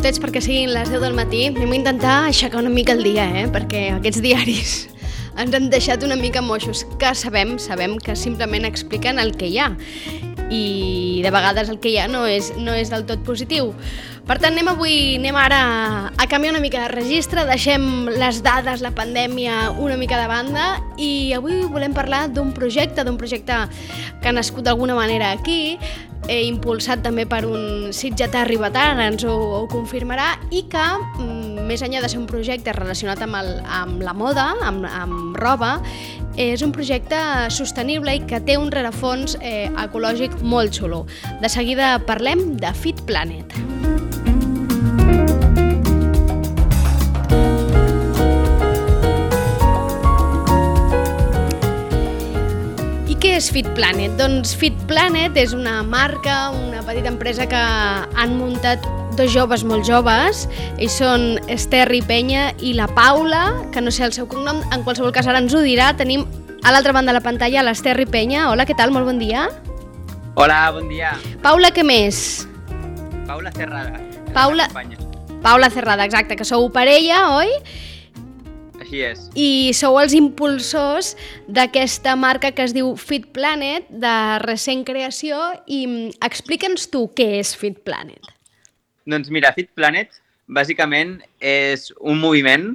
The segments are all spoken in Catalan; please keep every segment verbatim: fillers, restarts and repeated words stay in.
minuts perquè siguin les deu del matí. Anem a intentar aixecar una mica el dia, eh? Perquè aquests diaris ens han deixat una mica moixos, que sabem, sabem que simplement expliquen el que hi ha. I de vegades el que hi ha no és, no és del tot positiu. Per tant, anem avui, anem ara a canviar una mica de registre, deixem les dades, la pandèmia una mica de banda i avui volem parlar d'un projecte, d'un projecte que ha nascut d'alguna manera aquí, eh, impulsat també per un sitgetà ribetà, ara ens ho, ho confirmarà, i que, mm, més enllà de ser un projecte relacionat amb, el, amb la moda, amb, amb roba, és un projecte sostenible i que té un rerefons eh, ecològic molt xulo. De seguida parlem de Fit Planet. I què és Fit Planet? Doncs Fit Planet és una marca, una petita empresa que han muntat dos joves molt joves. Ells són Esterri Peña i la Paula, que no sé el seu cognom, en qualsevol cas ara ens ho dirà. Tenim a l'altra banda de la pantalla l'Esterri Peña. Hola, què tal? Molt bon dia. Hola, bon dia. Paula, què més? Paula Cerrada. Paula, Paula Cerrada, exacte, que sou parella, oi? Així és. I sou els impulsors d'aquesta marca que es diu Fit Planet, de recent creació, i explica'ns tu què és Fit Planet. Doncs mira, Fit Planet bàsicament és un moviment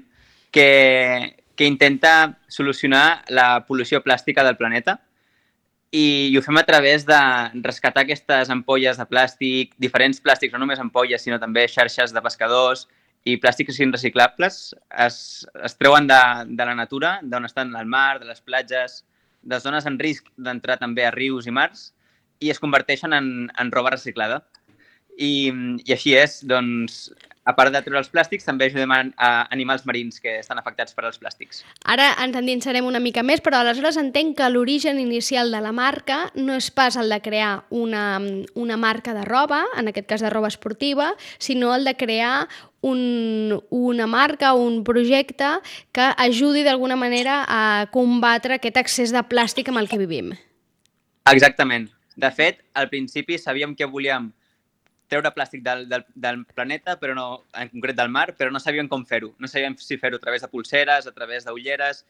que, que intenta solucionar la pol·lució plàstica del planeta i, i ho fem a través de rescatar aquestes ampolles de plàstic, diferents plàstics, no només ampolles, sinó també xarxes de pescadors i plàstics reciclables es, es treuen de, de la natura, d'on estan al mar, de les platges, de zones en risc d'entrar també a rius i mars i es converteixen en, en roba reciclada. I, i així és, doncs, a part de treure els plàstics, també ajudem a, a animals marins que estan afectats per als plàstics. Ara ens endinsarem una mica més, però aleshores entenc que l'origen inicial de la marca no és pas el de crear una, una marca de roba, en aquest cas de roba esportiva, sinó el de crear un, una marca, un projecte que ajudi d'alguna manera a combatre aquest excés de plàstic amb el que vivim. Exactament. De fet, al principi sabíem que volíem treure plàstic del, del, del planeta, però no, en concret del mar, però no sabíem com fer-ho. No sabíem si fer-ho a través de pulseres, a través d'ulleres,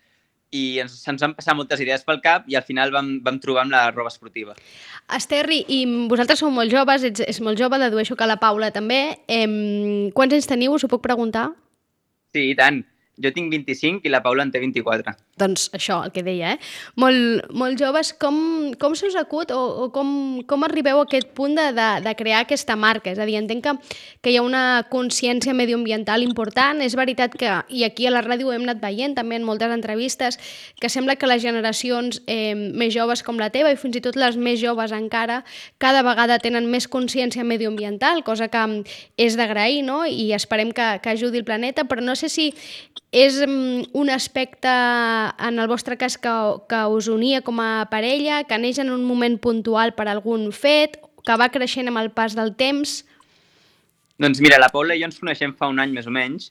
i ens, ens van passar moltes idees pel cap i al final vam, vam trobar amb la roba esportiva. Esterri, i vosaltres sou molt joves, ets, és molt jove, dedueixo que la Paula també. Eh, quants anys teniu, us ho puc preguntar? Sí, i tant. Jo tinc vint-i-cinc i la Paula en té vint-i-quatre. Doncs això, el que deia, eh? Molt, molt joves. Com, com se us acut o, o com, com arribeu a aquest punt de, de, de crear aquesta marca? És a dir, entenc que, que hi ha una consciència medioambiental important. És veritat que, i aquí a la ràdio ho hem anat veient també en moltes entrevistes, que sembla que les generacions eh, més joves com la teva i fins i tot les més joves encara cada vegada tenen més consciència medioambiental, cosa que és d'agrair, no? I esperem que, que ajudi el planeta, però no sé si és un aspecte, en el vostre cas, que, que us unia com a parella, que neix en un moment puntual per algun fet, que va creixent amb el pas del temps? Doncs mira, la Paula i jo ens coneixem fa un any més o menys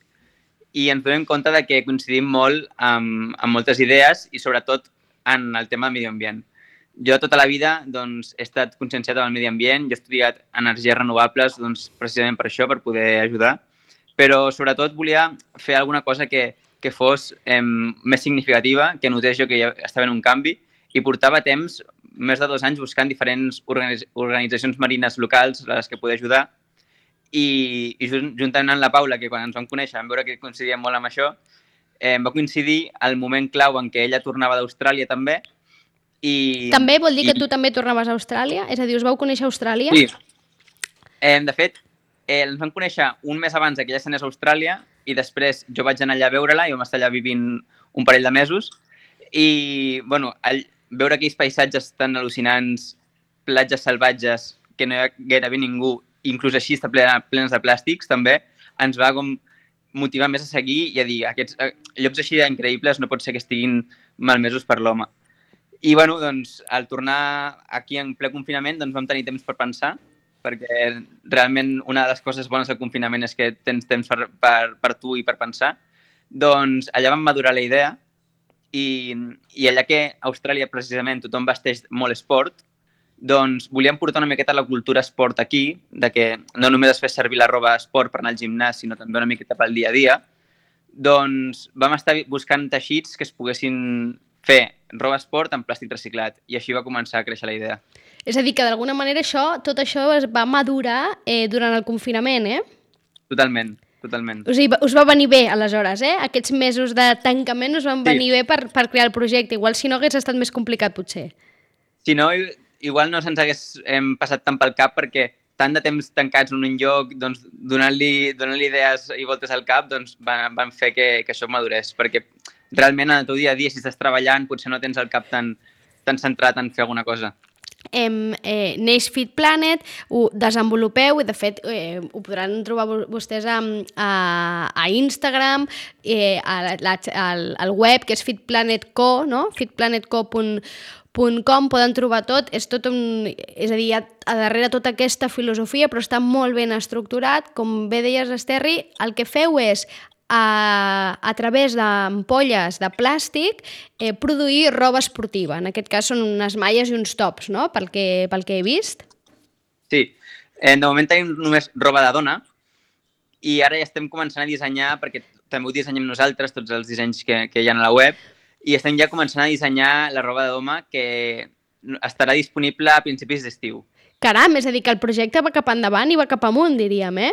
i ens donem compte de que coincidim molt amb, amb moltes idees i sobretot en el tema del medi ambient. Jo tota la vida doncs, he estat conscienciat amb el medi ambient, jo he estudiat energies renovables doncs, precisament per això, per poder ajudar, però sobretot volia fer alguna cosa que, que fos eh, més significativa, que notés jo que ja estava en un canvi i portava temps, més de dos anys, buscant diferents organitz organitzacions marines locals a les que poder ajudar i, i juntament amb la Paula, que quan ens vam conèixer vam veure que coincidíem molt amb això, eh, va coincidir el moment clau en què ella tornava d'Austràlia també. I, també vol dir i... que tu també tornaves a Austràlia? És a dir, us vau conèixer a Austràlia? Sí. Eh, de fet, Eh, ens vam conèixer un mes abans que ella s'anés a Austràlia i després jo vaig anar allà a veure-la i vam estar allà vivint un parell de mesos i bueno, all, veure aquells paisatges tan al·lucinants, platges salvatges que no hi ha gairebé ningú, inclús així està plena, plenes de plàstics també, ens va com motivar més a seguir i a dir aquests eh, llocs així increïbles no pot ser que estiguin malmesos per l'home. I bueno, doncs, al tornar aquí en ple confinament doncs vam tenir temps per pensar perquè realment una de les coses bones del confinament és que tens temps per, per, per tu i per pensar, doncs allà vam madurar la idea i, i allà que a Austràlia precisament tothom vesteix molt esport, doncs volíem portar una miqueta la cultura esport aquí, de que no només es fes servir la roba esport per anar al gimnàs, sinó també una miqueta pel dia a dia. Doncs vam estar buscant teixits que es poguessin fer roba esport en plàstic reciclat i així va començar a créixer la idea. És a dir, que d'alguna manera això, tot això es va madurar eh, durant el confinament, eh? Totalment, totalment. O sigui, us va venir bé, aleshores, eh? Aquests mesos de tancament us van Sí. venir bé per, per crear el projecte. Igual si no hagués estat més complicat, potser. Si no, igual no se'ns hagués hem passat tant pel cap perquè tant de temps tancats en un lloc, doncs, donant-li donant-li idees i voltes al cap, doncs van, van fer que, que això madurés. Perquè realment en el teu dia a dia, si estàs treballant, potser no tens el cap tan, tan centrat en fer alguna cosa. Em, eh, neix Fit Planet, ho desenvolupeu i de fet eh, ho podran trobar vostès a, a, a Instagram, eh, a la, al, al web que és fitplanet punto co, no? fitplanet punto co punt com, poden trobar tot, és tot un, és a dir, hi ha a darrere tota aquesta filosofia, però està molt ben estructurat, com bé deies, Esterri, el que feu és a, a través d'ampolles de plàstic eh, produir roba esportiva, en aquest cas són unes malles i uns tops, no?, pel que, pel que he vist. Sí, eh, de moment tenim només roba de dona i ara ja estem començant a dissenyar, perquè també ho dissenyem nosaltres, tots els dissenys que, que hi ha a la web, i estem ja començant a dissenyar la roba de doma que estarà disponible a principis d'estiu. Caram, és a dir, que el projecte va cap endavant i va cap amunt, diríem, eh?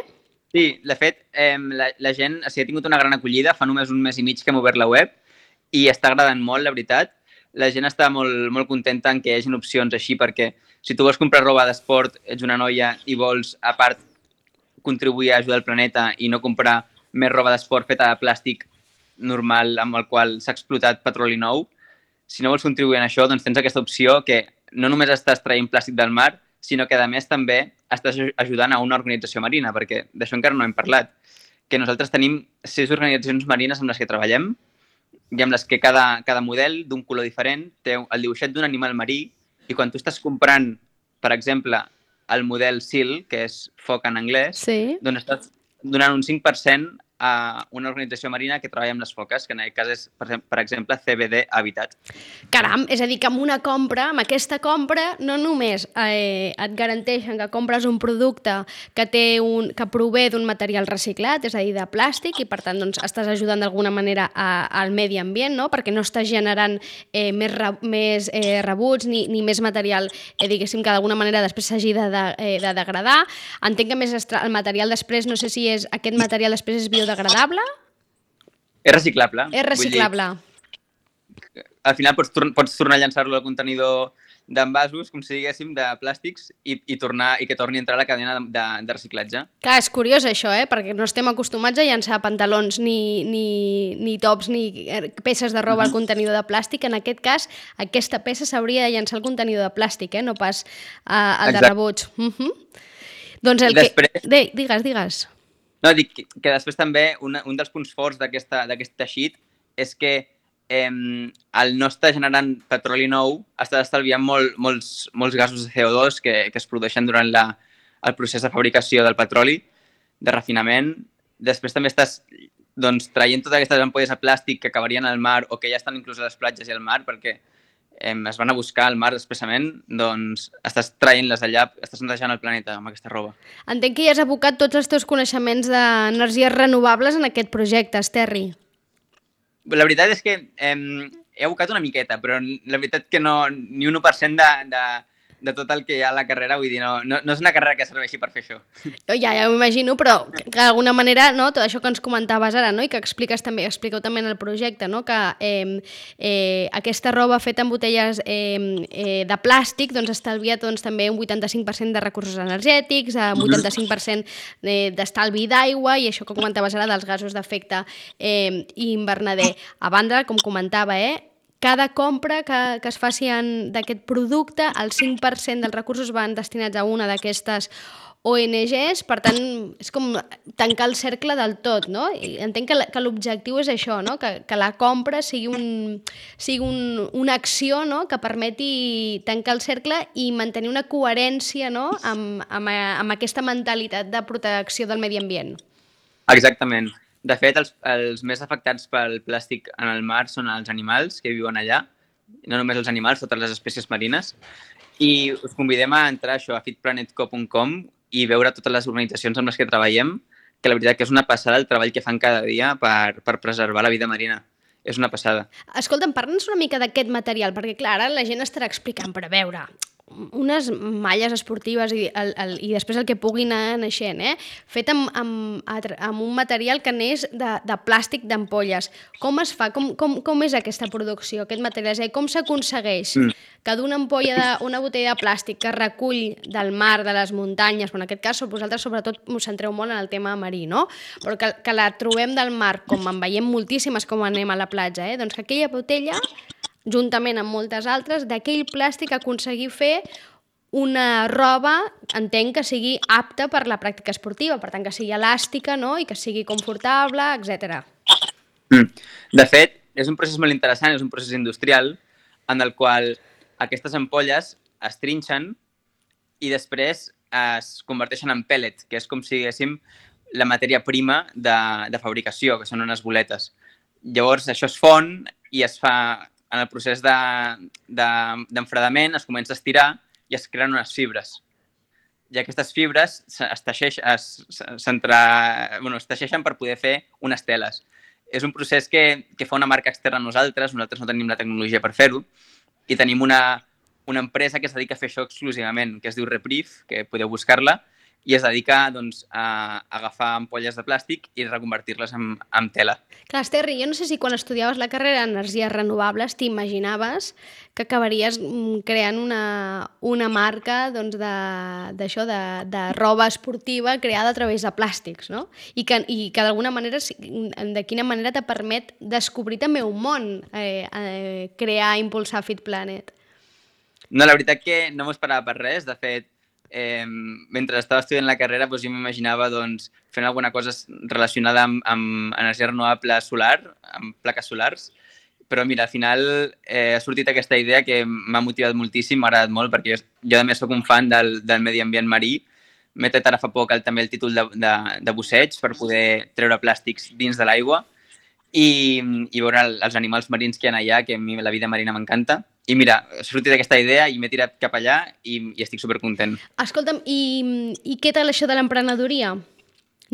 Sí, de fet, eh, la, la gent o sigui, ha tingut una gran acollida, fa només un mes i mig que hem obert la web i està agradant molt, la veritat. La gent està molt, molt contenta en que hi hagi opcions així, perquè si tu vols comprar roba d'esport, ets una noia i vols, a part, contribuir a ajudar el planeta i no comprar més roba d'esport feta de plàstic normal amb el qual s'ha explotat petroli nou, si no vols contribuir en això, doncs tens aquesta opció que no només estàs traient plàstic del mar, sinó que, a més, també estàs ajudant a una organització marina, perquè d'això encara no hem parlat, que nosaltres tenim sis organitzacions marines amb les que treballem i amb les que cada, cada model d'un color diferent té el dibuixet d'un animal marí i quan tu estàs comprant, per exemple, el model SEAL, que és foc en anglès, sí. doncs estàs donant un cinc per cent a una organització marina que treballa amb les foques, que en aquest cas és, per exemple, C B D Habitat. Caram, és a dir, que amb una compra, amb aquesta compra, no només eh, et garanteixen que compres un producte que, té un, que prové d'un material reciclat, és a dir, de plàstic, i per tant doncs, estàs ajudant d'alguna manera a, al medi ambient, no? Perquè no estàs generant eh, més, re, més eh, rebuts ni, ni més material, eh, diguéssim, que d'alguna manera després s'hagi de, de, eh, de degradar. Entenc que més el material després, no sé si és aquest material després és biodegradable, degradable? És reciclable. És reciclable. Dir, al final pots, tor pots tornar a llançar-lo al contenidor d'envasos, com si diguéssim, de plàstics i, i, tornar, i que torni a entrar a la cadena de, de, de reciclatge. Clar, és curiós això, eh? Perquè no estem acostumats a llançar pantalons ni, ni, ni tops ni peces de roba al contenidor de plàstic. En aquest cas, aquesta peça s'hauria de llançar al contenidor de plàstic, eh? No pas uh, al de rebuts. Uh -huh. Doncs el Després... que... De, digues, digues. No, dic que, que després també un, un dels punts forts d'aquest teixit és que eh, el no estar generant petroli nou està estalviant molt, molts, molts gasos de C O dos que, que es produeixen durant la, el procés de fabricació del petroli, de refinament. Després també estàs doncs, traient totes aquestes ampolles de plàstic que acabarien al mar o que ja estan inclús a les platges i al mar perquè eh, es van a buscar al mar expressament, doncs estàs traient-les allà, estàs netejant el planeta amb aquesta roba. Entenc que ja has abocat tots els teus coneixements d'energies renovables en aquest projecte, Esterri. La veritat és que eh, he abocat una miqueta, però la veritat que no, ni un u per cent de, de, de tot el que hi ha a la carrera, vull dir, no, no, no és una carrera que serveixi per fer això. No, ja, ja ho imagino, però que d'alguna manera, no, tot això que ens comentaves ara, no, i que expliques també, expliqueu també en el projecte, no, que eh, eh, aquesta roba feta amb botelles eh, eh, de plàstic doncs estalvia doncs, també un vuitanta-cinc per cent de recursos energètics, un vuitanta-cinc per cent d'estalvi d'aigua i això que comentaves ara dels gasos d'efecte eh, hivernader. A banda, com comentava, eh, cada compra que, que es faci d'aquest producte, el cinc per cent dels recursos van destinats a una d'aquestes O N Ges, per tant, és com tancar el cercle del tot, no? I entenc que, que l'objectiu és això, no? Que, que la compra sigui, un, sigui un, una acció, no? Que permeti tancar el cercle i mantenir una coherència, no? amb, amb, amb aquesta mentalitat de protecció del medi ambient. Exactament. De fet, els, els més afectats pel plàstic en el mar són els animals que viuen allà, no només els animals, totes les espècies marines, I us convidem a entrar això, a fit planet co punt com i veure totes les organitzacions amb les que treballem, que la veritat que és una passada el treball que fan cada dia per, per preservar la vida marina. És una passada. Escolta'm, parla'ns una mica d'aquest material, perquè clar, ara la gent estarà explicant, però a veure, unes malles esportives i, el, el, i després el que pugui anar naixent, eh? Fet amb, amb, amb un material que neix de, de plàstic d'ampolles. Com es fa? Com, com, com és aquesta producció, aquest material? És a dir, com s'aconsegueix mm. que d'una ampolla, de, una botella de plàstic que recull del mar, de les muntanyes, però en aquest cas vosaltres sobretot us centreu molt en el tema marí, no? Però que, que la trobem del mar, com en veiem moltíssimes com anem a la platja, eh? Doncs que aquella botella, juntament amb moltes altres, d'aquell plàstic aconseguir fer una roba, entenc que sigui apta per la pràctica esportiva, per tant que sigui elàstica, no? I que sigui confortable, etcètera. Mm. De fet, és un procés molt interessant, és un procés industrial en el qual aquestes ampolles es trinxen i després es converteixen en pellet, que és com si diguéssim la matèria prima de, de fabricació, que són unes boletes. Llavors això es fon i es fa... En el procés d'enfredament de, de, es comença a estirar i es creen unes fibres. I aquestes fibres es, teixeix, es, bueno, es teixeixen per poder fer unes teles. És un procés que, que fa una marca externa a nosaltres, nosaltres no tenim la tecnologia per fer-ho, i tenim una, una empresa que es dedica a fer això exclusivament, que es diu Reprieve, que podeu buscar-la, i es dedica doncs, a agafar ampolles de plàstic i reconvertir-les en, en tela. Clar, Esterri, jo no sé si quan estudiaves la carrera d'energies renovables t'imaginaves que acabaries creant una, una marca doncs, d'això, de, de, de roba esportiva creada a través de plàstics, no? I que, i que d'alguna manera, de quina manera te permet descobrir també un món, eh, eh, crear, impulsar Fit Planet. No, la veritat que no m'ho esperava per res. De fet, Eh, mentre estava estudiant la carrera doncs, jo m'imaginava doncs, fent alguna cosa relacionada amb, amb energia renovable solar, amb plaques solars, però mira, al final eh, ha sortit aquesta idea que m'ha motivat moltíssim, m'ha agradat molt, perquè jo, jo a més soc un fan del, del medi ambient marí. M'he tret ara fa poc el, també el títol de, de, de busseig per poder treure plàstics dins de l'aigua i, i veure els animals marins que hi ha allà, que a mi la vida marina m'encanta. I mira, ha sortit aquesta idea i m'he tirat cap allà i, i estic supercontent. Escolta'm, i, i què tal això de l'emprenedoria?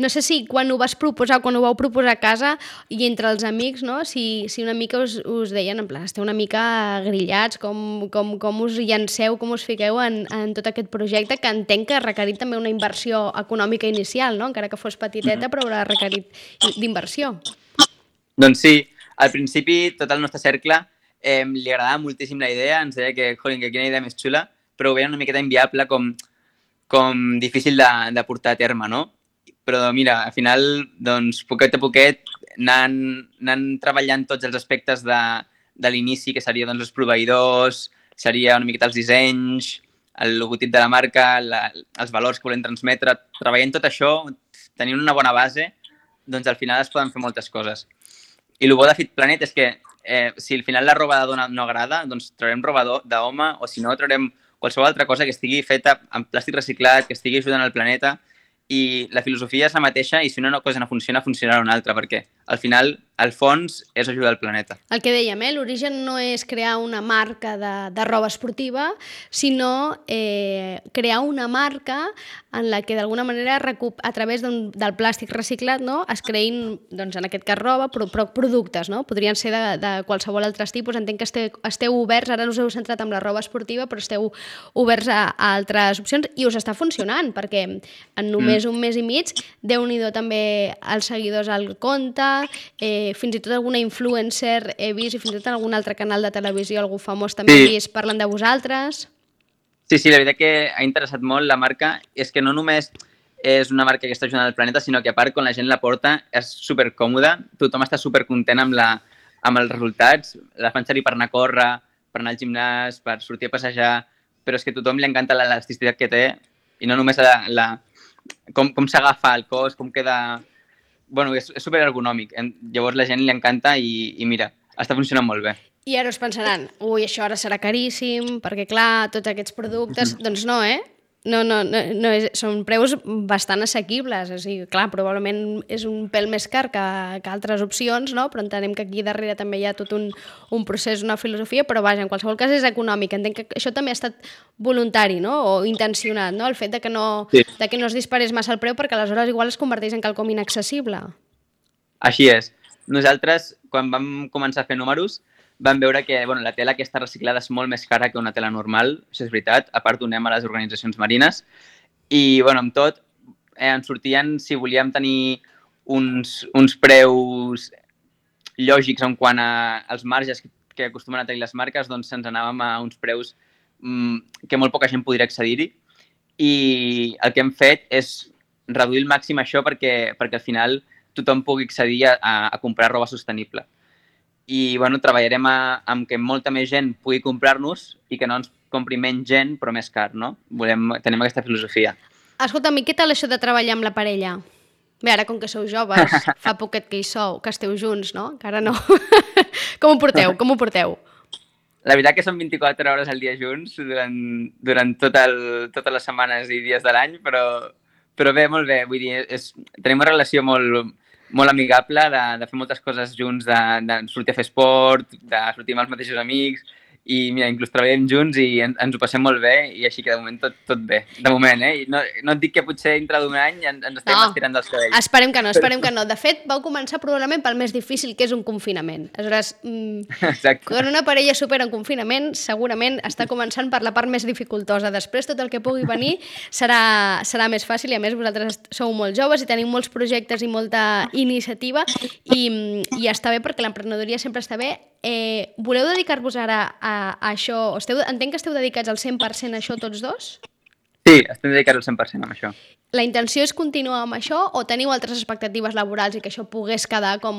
No sé si quan ho vas proposar, quan ho vau proposar a casa i entre els amics, no? si, si una mica us, us deien, en plan, esteu una mica grillats, com, com, com us llanceu, com us fiqueu en, en tot aquest projecte, que entenc que ha requerit també una inversió econòmica inicial, no? Encara que fos petiteta, però haurà requerit d'inversió. Doncs sí, al principi tot el nostre cercle Eh, li agradava moltíssim la idea, ens deia que, jolín, que quina idea més xula, però ho veien una miqueta inviable, com, com difícil de, de portar a terme, no? Però mira, al final, doncs, poquet a poquet, anant, anant treballant tots els aspectes de, de l'inici, que seria doncs, els proveïdors, seria una miqueta els dissenys, el logotip de la marca, la, els valors que volem transmetre, treballant tot això, tenint una bona base, doncs al final es poden fer moltes coses. I el bo de Fit Planet és que eh, si al final la roba de dona no agrada, doncs traurem roba d'home o si no traurem qualsevol altra cosa que estigui feta amb plàstic reciclat, que estigui ajudant al planeta i la filosofia és la mateixa i si una cosa no funciona, funcionarà una altra perquè al final, al fons, és ajudar al planeta. El que dèiem, eh? L'origen no és crear una marca de, de roba esportiva, sinó eh, crear una marca en la que d'alguna manera a través del plàstic reciclat no? es creïn, doncs, en aquest cas roba, però, però productes, no? Podrien ser de, de qualsevol altre tipus. Entenc que esteu, esteu oberts, ara us heu centrat en la roba esportiva, però esteu oberts a, a altres opcions i us està funcionant, perquè en només mm. un mes i mig, Déu-n'hi-do també els seguidors al compte, eh, fins i tot alguna influencer he vist i fins i tot en algun altre canal de televisió, algú famós també sí. he vist, parlen de vosaltres. Sí, sí, la veritat que ha interessat molt la marca. És que no només és una marca que està ajudant al planeta, sinó que a part, quan la gent la porta, és supercòmoda, tothom està supercontent amb, la, amb els resultats, la fan servir per anar a córrer, per anar al gimnàs, per sortir a passejar, però és que a tothom li encanta l'elasticitat que té i no només la, la, com, com s'agafa el cos, com queda... Bueno, és, és superergonòmic. Llavors la gent li encanta i, i mira, està funcionant molt bé. I ara us pensaran, ui, això ara serà caríssim, perquè clar, tots aquests productes... Mm-hmm. Doncs no, eh? No, no, no, no és, són preus bastant assequibles, o sigui, clar, probablement és un pèl més car que, que altres opcions, no? Però entenem que aquí darrere també hi ha tot un, un procés, una filosofia, però vaja, en qualsevol cas és econòmic. Entenc que això també ha estat voluntari, no? O intencionat, no? El fet de que no, sí. de que no es disparés massa el preu perquè aleshores igual es converteix en quelcom inaccessible. Així és. Nosaltres, quan vam començar a fer números, vam veure que bueno, la tela aquesta reciclada és molt més cara que una tela normal, això és veritat, a part donem a les organitzacions marines, i bueno, amb tot eh, ens sortien, si volíem tenir uns, uns preus lògics en quant als marges que acostumen a tenir les marques, doncs ens anàvem a uns preus mmm, que molt poca gent podria accedir-hi, i el que hem fet és reduir al màxim això perquè, perquè al final tothom pugui accedir a, a comprar roba sostenible. I bueno, treballarem a, amb que molta més gent pugui comprar-nos i que no ens compri menys gent, però més car, no? Volem, tenim aquesta filosofia. Escolta'm, i què tal això de treballar amb la parella? Bé, ara com que sou joves, fa poquet que hi sou, que esteu junts, no? Que ara no. Com ho porteu? Com ho porteu? La veritat que són vint-i-quatre hores al dia junts durant, durant tot el, totes les setmanes i dies de l'any, però, però bé, molt bé. Vull dir, és, tenim una relació molt... molt amigable, de, de fer moltes coses junts, de, de sortir a fer esport, de sortir amb els mateixos amics, i mira, inclús treballem junts i en, ens ho passem molt bé, i així que de moment tot, tot bé. De moment, eh? No, no et dic que potser dintre d'un any ens, ens estem no, estirant dels cabells. Esperem que no, esperem que no. De fet, vau començar probablement pel més difícil, que és un confinament. Aleshores, mmm, quan una parella supera un confinament, segurament està començant per la part més dificultosa. Després, tot el que pugui venir serà, serà més fàcil, i a més vosaltres sou molt joves i teniu molts projectes i molta iniciativa, i, i està bé perquè l'emprenedoria sempre està bé. Eh, voleu dedicar-vos ara a, a això? Esteu, entenc que esteu dedicats al cent per cent a això tots dos? Sí, estem dedicats al cent per cent a això. La intenció és continuar amb això o teniu altres expectatives laborals i que això pogués quedar com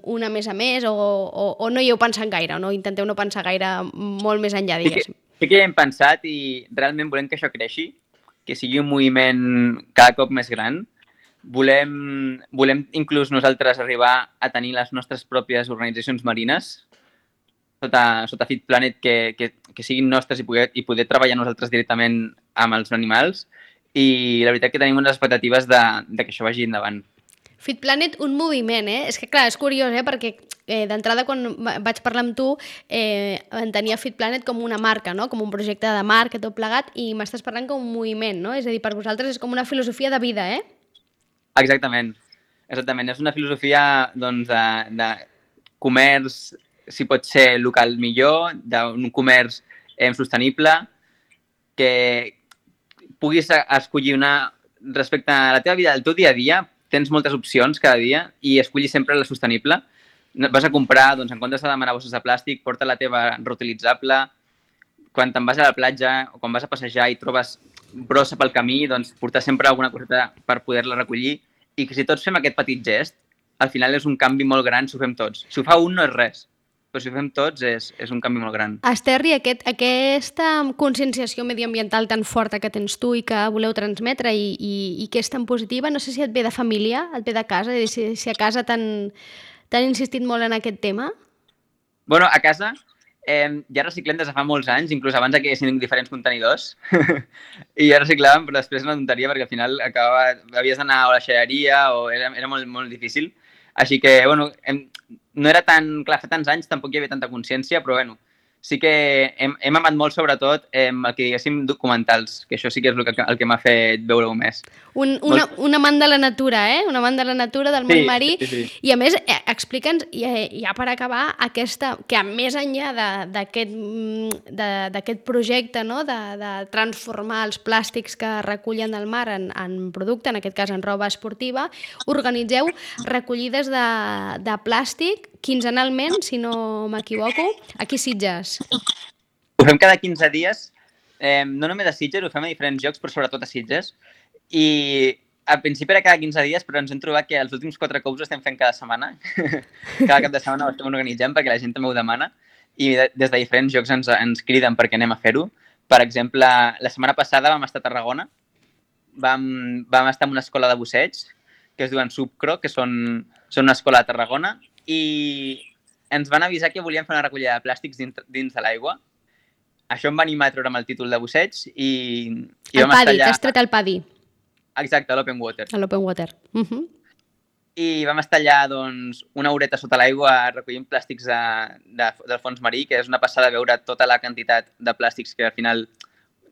una més a més, o, o, o no hi heu pensat gaire, o no intenteu no pensar gaire molt més enllà, diguéssim? Sí que, sí que hi hem pensat i realment volem que això creixi, que sigui un moviment cada cop més gran. Volem, volem inclús nosaltres arribar a tenir les nostres pròpies organitzacions marines sota, sota Fit Planet que, que, que siguin nostres i poder, i poder treballar nosaltres directament amb els animals, i la veritat que tenim unes expectatives de, de que això vagi endavant. Fit Planet, un moviment, eh? És que clar, és curiós, eh? Perquè eh, d'entrada quan vaig parlar amb tu eh, entenia Fit Planet com una marca, no? Com un projecte de marca, tot plegat, i m'estàs parlant com un moviment, no? És a dir, per vosaltres és com una filosofia de vida, eh? Exactament, exactament. És una filosofia doncs, de, de comerç, si pot ser local millor, d'un comerç eh, sostenible, que puguis escollir una... Respecte a la teva vida, el teu dia a dia, tens moltes opcions cada dia i escollis sempre la sostenible. Vas a comprar, doncs, en comptes de demanar bosses de plàstic, porta la teva reutilitzable. Quan te'n vas a la platja o quan vas a passejar i trobes brossa pel camí, doncs portar sempre alguna coseta per poder-la recollir, i que si tots fem aquest petit gest, al final és un canvi molt gran si ho fem tots. Si ho fa un no és res, però si ho fem tots és, és un canvi molt gran. Esterri, aquest, aquesta conscienciació medioambiental tan forta que tens tu i que voleu transmetre i, i, i que és tan positiva, no sé si et ve de família, et ve de casa, si, si a casa t'han insistit molt en aquest tema? Bueno, a casa eh, ja reciclem des de fa molts anys, inclús abans que hi haguessin diferents contenidors, i ja reciclàvem, però després una tonteria perquè al final acabava, havies d'anar a la xereria o era, era molt, molt difícil. Així que, bueno, hem, no era tan... Clar, fa tants anys tampoc hi havia tanta consciència, però, bueno, sí que hem, hem amat molt, sobretot, eh, el que diguéssim documentals, que això sí que és el que, el que m'ha fet veure-ho més. Un, una, molt... un amant de la natura, eh? Un amant de la natura, del món sí, marí. Sí, sí. I, a més, eh, explica'ns, ja per acabar, aquesta, que a més enllà d'aquest projecte, no?, de, de transformar els plàstics que recullen del mar en, en producte, en aquest cas en roba esportiva, organitzeu recollides de, de plàstic quinzenalment, si no m'equivoco, aquí a Sitges. Ho fem cada quinze dies, eh, no només a Sitges, ho fem a diferents llocs, però sobretot a Sitges. I al principi era cada quinze dies, però ens hem trobat que els últims quatre cops ho estem fent cada setmana. Cada cap de setmana ho estem organitzant perquè la gent també ho demana, i des de diferents llocs ens, ens criden perquè anem a fer-ho. Per exemple, la setmana passada vam estar a Tarragona, vam, vam estar en una escola de busseig, que es diuen Subcro, que són, són una escola de Tarragona, i ens van avisar que volien fer una recollida de plàstics dins, dins de l'aigua. això em va animar a treure'm el títol de busseig i, i el vam estar PADI, allà... t'has tret el PADI. Exacte, l'Open Water. L'Open Water. Uh -huh. I vam estar allà doncs, una horeta sota l'aigua recollint plàstics de, de, del fons marí, que és una passada veure tota la quantitat de plàstics que al final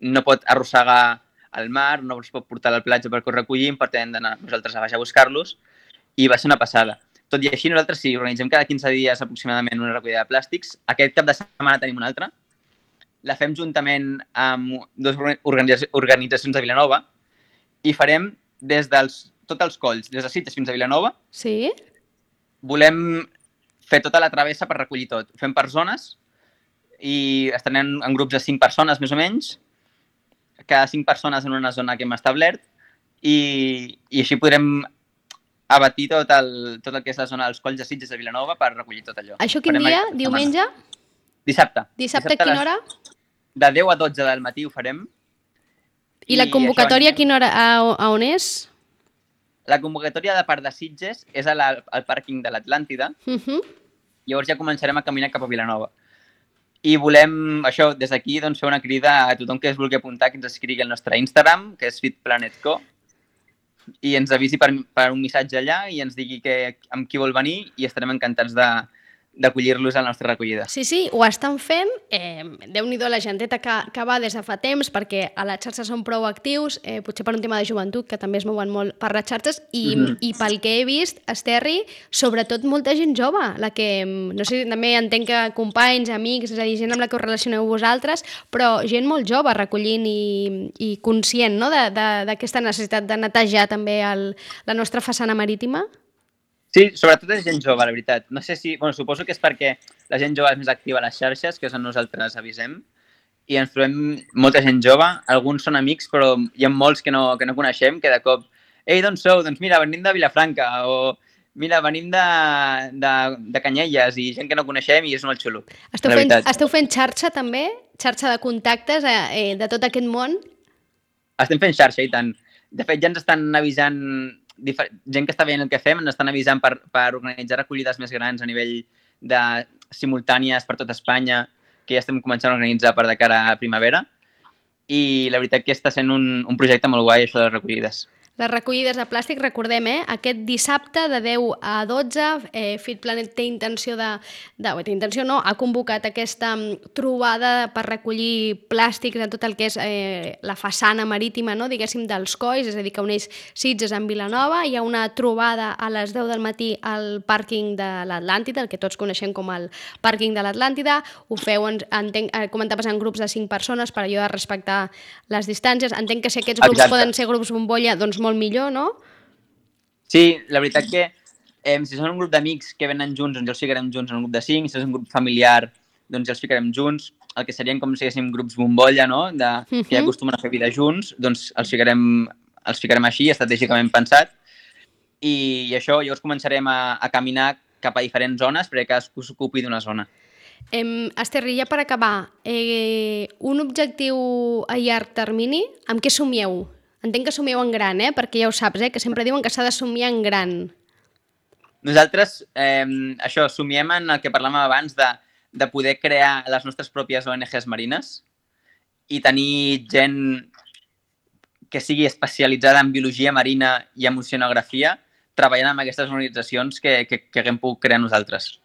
no pot arrossegar al mar, no es pot portar a la platja perquè ho recollim, per tant hem d'anar nosaltres a baix a buscar-los, i va ser una passada. Tot i així, nosaltres sí, organitzem cada quinze dies aproximadament una recollida de plàstics. Aquest cap de setmana tenim una altra. La fem juntament amb dues organitzacions de Vilanova i farem des dels tots els colls, des de Sitges fins a Vilanova. Sí? Volem fer tota la travessa per recollir tot. Ho fem per zones i estarem en, en grups de cinc persones, més o menys, cada cinc persones en una zona que hem establert i, i així podrem abatir tot el, tot el que és la zona dels colls de Sitges de Vilanova per recollir tot allò. Això quin farem dia? Diumenge? Dissabte. Dissabte a quina hora? De deu a dotze del matí ho farem. I, I la convocatòria a quina hora? A, a on és? La convocatòria de part de Sitges és a la, al pàrquing de l'Atlàntida. Uh -huh. Llavors ja començarem a caminar cap a Vilanova. I volem, això, des d'aquí, doncs, fer una crida a tothom que es vulgui apuntar, que ens escrigui al nostre Instagram, que és fitplanetco, i ens avisi per, per un missatge allà i ens digui que, amb qui vol venir i estarem encantats de, d'acollir-los a la nostra recollida. Sí, sí, ho estan fent. Eh, Déu-n'hi-do la genteta que, que va des de fa temps, perquè a les xarxes són prou actius, eh, potser per un tema de joventut, que també es mouen molt per les xarxes, i, mm -hmm. i pel que he vist, Esterri, sobretot molta gent jove, la que, no sé, també entenc que companys, amics, és a dir, gent amb la que us relacioneu vosaltres, però gent molt jove recollint i, i conscient, no?, d'aquesta necessitat de netejar també el, la nostra façana marítima. Sí, sobretot és gent jove, la veritat. No sé si... Bueno, suposo que és perquè la gent jove és més activa a les xarxes, que és on nosaltres avisem, i ens trobem molta gent jove. Alguns són amics, però hi ha molts que no, que no coneixem, que de cop... Ei, d'on sou? Doncs mira, venim de Vilafranca, o mira, venim de, de, de Canyelles, i gent que no coneixem, i és molt xulo. Esteu fent, esteu fent xarxa, també? Xarxa de contactes eh, de tot aquest món? Estem fent xarxa, i tant. De fet, ja ens estan avisant... gent que està veient el que fem, ens estan avisant per, per organitzar recollides més grans a nivell de simultànies per tot Espanya, que ja estem començant a organitzar per de cara a primavera. I la veritat que està sent un, un projecte molt guai, això de les recollides. Les recollides de plàstic, recordem, eh? Aquest dissabte de deu a dotze, eh, FitPlanet té intenció de, de... Té intenció no, ha convocat aquesta trobada per recollir plàstics de tot el que és eh, la façana marítima, no?, diguéssim, dels colls, és a dir, que uneix Sitges amb Vilanova. Hi ha una trobada a les deu del matí al pàrquing de l'Atlàntida, el que tots coneixem com el pàrquing de l'Atlàntida. Ho feu, entenc, comentaves, en grups de cinc persones per allò de respectar les distàncies. Entenc que si aquests grups Exacte. Poden ser grups bombolla, doncs molt millor, no? Sí, la veritat que eh, si són un grup d'amics que venen junts, doncs ja els ficarem junts en un grup de cinc, si és un grup familiar, doncs ja els ficarem junts, el que serien com si haguéssim grups bombolla, no?, de, uh -huh. que ja acostumen a fer vida junts, doncs els ficarem, els ficarem així, estratègicament pensat, i, i això, llavors començarem a, a caminar cap a diferents zones perquè cadascú s'ocupi d'una zona. Eh, Esterri, ja per acabar, eh, un objectiu a llarg termini, amb què somieu? Entenc que somieu en gran, eh? Perquè ja ho saps, eh? Que sempre diuen que s'ha de somiar en gran. Nosaltres, eh, això, somiem en el que parlàvem abans de, de poder crear les nostres pròpies O N Ges marines i tenir gent que sigui especialitzada en biologia marina i en oceanografia treballant amb aquestes organitzacions que, que, que haguem pogut crear nosaltres.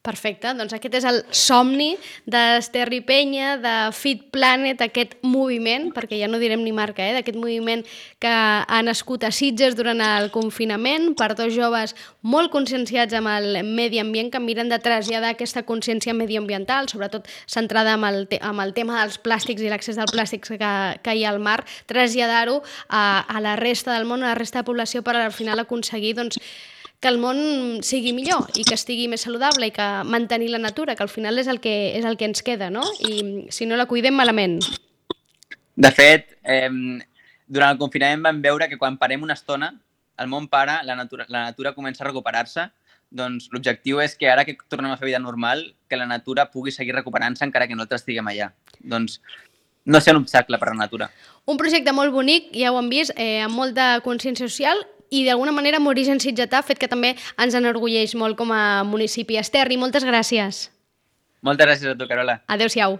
Perfecte, doncs aquest és el somni d'Esterri Penya, de FitPlanet, aquest moviment, perquè ja no direm ni marca, eh, d'aquest moviment que ha nascut a Sitges durant el confinament, per dos joves molt conscienciats amb el medi ambient, que miren de traslladar aquesta consciència medioambiental, sobretot centrada amb el, te amb el tema dels plàstics i l'accés dels plàstics que, que hi ha al mar, traslladar-ho a, a la resta del món, a la resta de població, per al final aconseguir, doncs, que el món sigui millor i que estigui més saludable i que mantenir la natura, que al final és el que, és el que ens queda, no? I si no la cuidem, malament. De fet, eh, durant el confinament vam veure que quan parem una estona, el món para, la natura, la natura comença a recuperar-se, doncs l'objectiu és que ara que tornem a fer vida normal, que la natura pugui seguir recuperant-se encara que nosaltres estiguem allà. Doncs no ser un obstacle per a la natura. Un projecte molt bonic, ja ho hem vist, eh, amb molta consciència social, i d'alguna manera amb origen sitgetà, fet que també ens enorgulleix molt com a municipi. Esterri, moltes gràcies. Moltes gràcies a tu, Carola. Adéu-siau.